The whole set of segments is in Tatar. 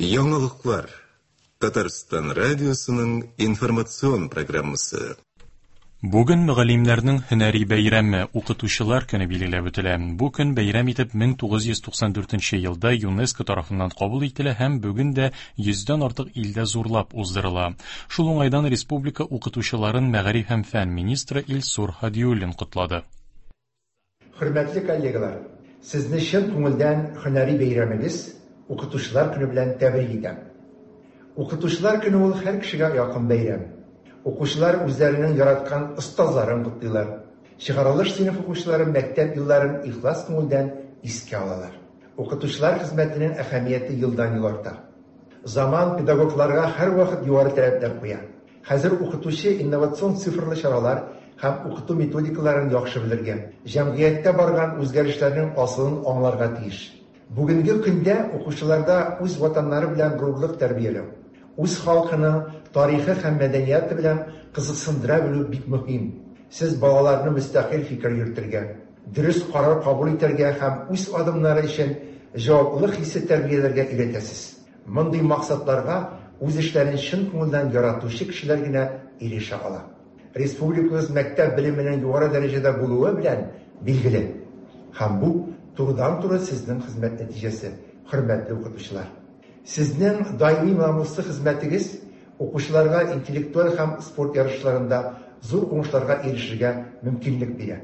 Яңалыклар. Татарстан радиосының информацион программасы. Бүген мөгаллимнәрнең һөнәри бәйрәме, Укытучылар көне билгеләп үтелә. Бу көн бәйрәм итеп 1994 елда ЮНЕСКО тарафыннан кабул ителә һәм бүген дә йөздән артык илдә зурлап уздырыла. Шул уңайдан республика укытучыларын мәгариф һәм фән министры Илсур Һадиуллин котлады. Хөрмәтле коллегалар, сезне чын күңелдән һөнәри бәйрәмегез, Укытучылар көне белән тәбрик итәм. Укытучылар көне ул һәр кешегә якын бәйрәм. Укучылар үзләренең яраткан остазларын котлыйлар. Чыгарылыш сыйныф укучылары мәктәп елларын ихлас күңелдән искә алалар. Укытучылар хезмәтенең әһәмияте елдан-ел арта. Заман педагогларга һәрвакыт югары таләпләр куя. Хәзер укытучы инновацион цифрлы чаралар һәм укыту методикаларын яхшы белергә, җәмгыятьтә барган үзгәрешләрнең асылын аңларга тиеш. Бүгенге көндә укучыларда үз ватаннары белән горурлык тәрбияләү, үз халкының тарихы һәм мәдәнияты белән кызыксындыра белү бик мөһим. Сез балаларны мөстәкыйль фикер йөртергә, дөрес карар кабул итәргә һәм үз адымнары өчен җаваплылык хисе тәрбияләргә өйрәтәсез. Мондый максатларга үз эшләрен чын күңелдән яратучы кешеләр генә ирешә ала. Республикабыз мәктәп белеменең югары дәрәҗәдә булуы белән билгеле. Һәм бу, турыдан-туры сезнең хезмәт нәтиҗәсе, хөрмәтле укытучылар. Сезнең даими намуслы хезмәтегез укучыларга интеллектуаль һәм спорт ярышларында зур уңышларга ирешергә мөмкинлек бирә.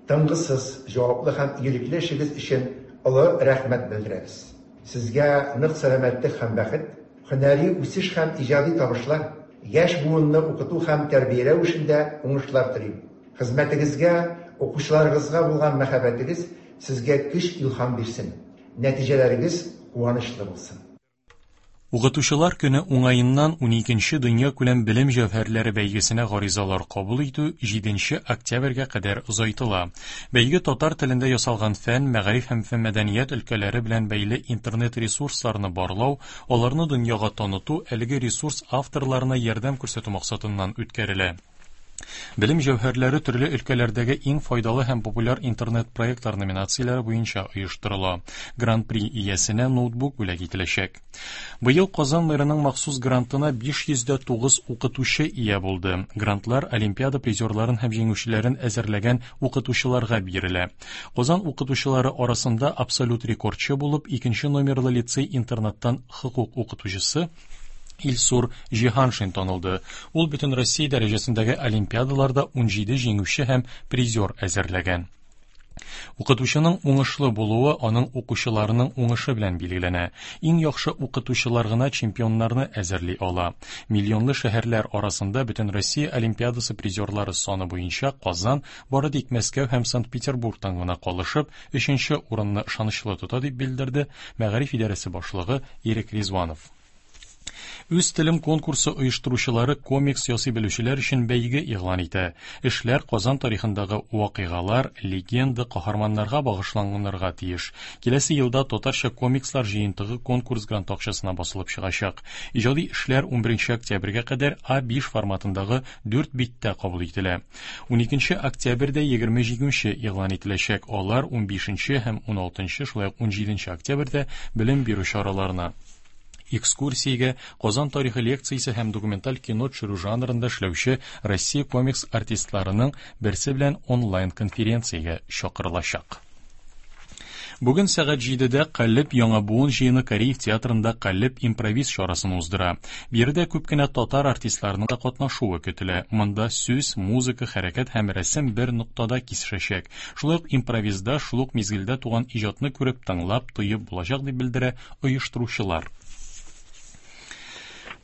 Тынгысыз, җаваплы һәм игелекле эшегез өчен олы рәхмәт белдерәбез. Сезгә нык сәламәтлек һәм бәхет, һөнәри үсеш һәм иҗади табышлар, яшь буынны укыту һәм тәрбияләү эшендә уңышлар телим. Хезмәтегезгә, укучыларыгызга булган мәхәббәтегез сезгә көч-илһам бирсен, нәтиҗәләрегез куанычлы булсын. Укытучылар көне уңаеннан уникенче дөньякүләм белем җәүһәрләре бәйгесенә гаризалар кабул итү җиденче октябрьгә кадәр озайтыла. Бәйге татар телендә ясалган фән, мәгариф һәм мәдәният өлкәләре белән бәйле интернет-ресурсларны барлау, аларны дөньяга таныту, әлеге ресурс авторларына ярдәм күрсәтү максатыннан үткәрелә. Белем җәүһәрләре төрле өлкәләрдәге иң файдалы һәм популяр интернет-проектлар номинацияләре буенча оештырыла. Гран-при иясенә ноутбук бүләк ителәчәк. Быел Казан мэрының махсус грантына 509 укытучы ия булды. Грантлар олимпиада призерларын һәм җиңүчеләрен әзерләгән укытучыларга бирелә. Казан укытучылары арасында абсолют рекордчы булып икенче номерлы лицей-интернаттан хокук укытучысы Илсур Җиһаншин танылды. Ул бөтен Россия дәрәҗәсендәге олимпиадаларда 17 җиңүче һәм призер әзерләгән. Укытучының уңышлы булуы аның укучыларының уңышы белән билгеләнә. Иң яхшы укытучылар гына чемпионнарны әзерли ала. Миллионлы шәһәрләр арасында Бөтенроссия олимпиадасы призерлары саны буенча Казан бары тик Мәскәү һәм Санкт-Петербургтан гына калышып, өченче урынны ышанычлы тота, дип белдерде мәгариф идарәсе башлыгы Ирек Ризванов. Үз телем конкурсы оештыручылары комикс ясый белүчеләр өчен бәйге игълан итә. Эшләр Казан тарихындагы вакыйгалар, легенда, каһарманнарга багышланганырга тиеш. Киләсе елда татарча комикслар җыентыгы конкурс гранты акчасына басылып чыгачак. Иҗади эшләр 11 октябрьгә кадәр А5 форматындагы 4 биттә кабул ителә. 12 октябрьдә 20 җиңүче игълан ителәчәк. Алар 15 һәм 16, шулай ук 17 октябрьдә белем бирү чараларына экскурсиягә Казан тарихы лекциясе һәм документаль кино төшерү жанрында эшләүче Россия комикс артистларының берсе белән онлайн-конференциягә чакырылачак. Бүген сәгать 7-дә Калеб яңа буын җыены Кариев театрында Калеб импровиз чарасын уздыра. Биредә күп кенә татар артистларының да катнашуы көтелә. Монда сүз, музыка, хәрәкәт һәм рәсем бер ноктада кисешәчәк. Шулай ук импровизда шул ук мизгелдә туган иҗатны күреп, тыңлап, тоеп булачак, дип белдерә оештыручылар.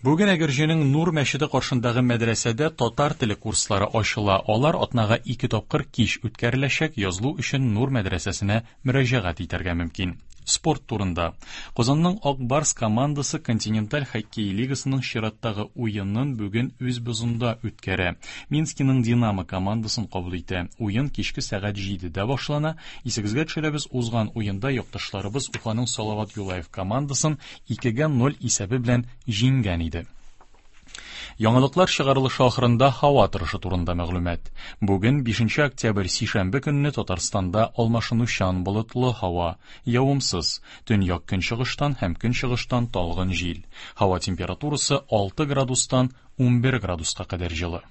Бүген Әгерҗенең Нур мәчете каршындагы мәдрәсәдә татар теле курслары ачыла. Алар атнага ике тапкыр кич үткәреләчәк. Язылу өчен Нур мәдрәсәсенә мөрәҗәгать итәргә мөмкин. Спорт турында. Казанның Ак Барс командасы Континенталь хоккей лигасының чираттагы уенын бүген үз бозында үткәрә. Минскиның Динамо командасын кабул итә. Уен кичке сәгать 7-дә башлана. Исегезгә төшерәбез, узган уенда якташларыбыз Уфаның Салават Юлаев командасын 2-гә 0 исәбе белән җиңгән иде. Яңалыклар чыгарылышы ахырында һава торышы турында мәгълүмат. Бүген 5 октябрь сишәмбе көнне Татарстанда алмашынучан болытлы һава, явымсыз, төньяк көнчыгыштан һәм көнчыгыштан талгын җил. Һава температурасы 6 градустан 11 градуска кадәр җылы.